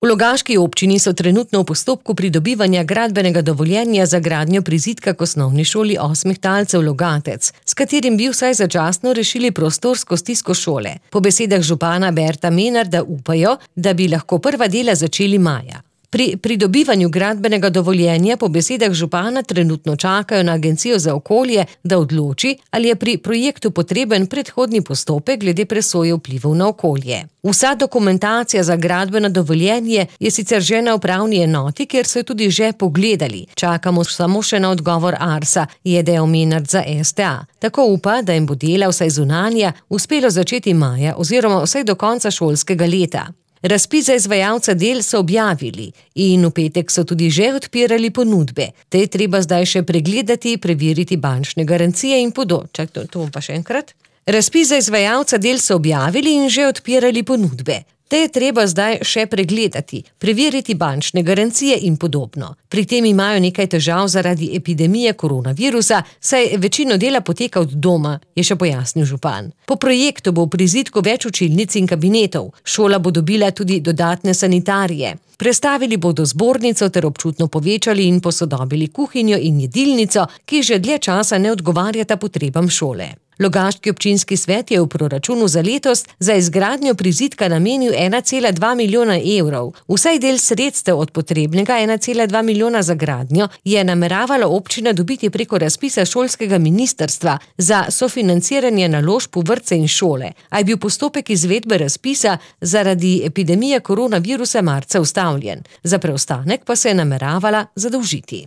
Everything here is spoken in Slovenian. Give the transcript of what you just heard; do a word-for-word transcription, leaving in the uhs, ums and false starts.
V Logaški občini so trenutno v postopku pridobivanja gradbenega dovoljenja za gradnjo prizidka k osnovni šoli osmih talcev Logatec, s katerim bi vsaj začasno rešili prostorsko stisko šole. Po besedah župana Berta Menarda upajo, da bi lahko prva dela začeli maja. Pri pridobivanju gradbenega dovoljenja po besedah župana trenutno čakajo na Agencijo za okolje, da odloči, ali je pri projektu potreben predhodni postopek glede presoje vplivov na okolje. Vsa dokumentacija za gradbeno dovoljenje je sicer že na upravni enoti, kjer so jo tudi že pogledali. Čakamo samo še na odgovor Arsa, je dejal Menard za S T A. Tako upa, da jim bo dela vsaj zunanja uspelo začeti maja oziroma vsaj do konca šolskega leta. Razpis za izvajalca del so objavili in v petek so tudi že odpirali ponudbe. Te je treba zdaj še pregledati, preveriti bančne garancije in podobno. Čak, to, to bom pa še enkrat. Razpis za izvajalca del so objavili in že odpirali ponudbe. Te je treba zdaj še pregledati, preveriti bančne garancije in podobno. Pri tem imajo nekaj težav zaradi epidemije koronavirusa, saj večino dela poteka od doma, je še pojasnil župan. Po projektu bo v prizidku več učilnic in kabinetov. Šola bo dobila tudi dodatne sanitarije. Prestavili bodo zbornico ter občutno povečali in posodobili kuhinjo in jedilnico, ki že dlje časa ne odgovarjata potrebam šole. Logaški občinski svet je v proračunu za letos za izgradnjo prizidka namenil ena cela dva milijona evrov. Vsaj del sredstev od potrebnega ena cela dva milijona za gradnjo je nameravala občina dobiti preko razpisa šolskega ministrstva za sofinanciranje naložb v vrtce in šole, a je bil postopek izvedbe razpisa zaradi epidemije koronavirusa marca ustavljen. Za preostanek pa se je nameravala zadolžiti.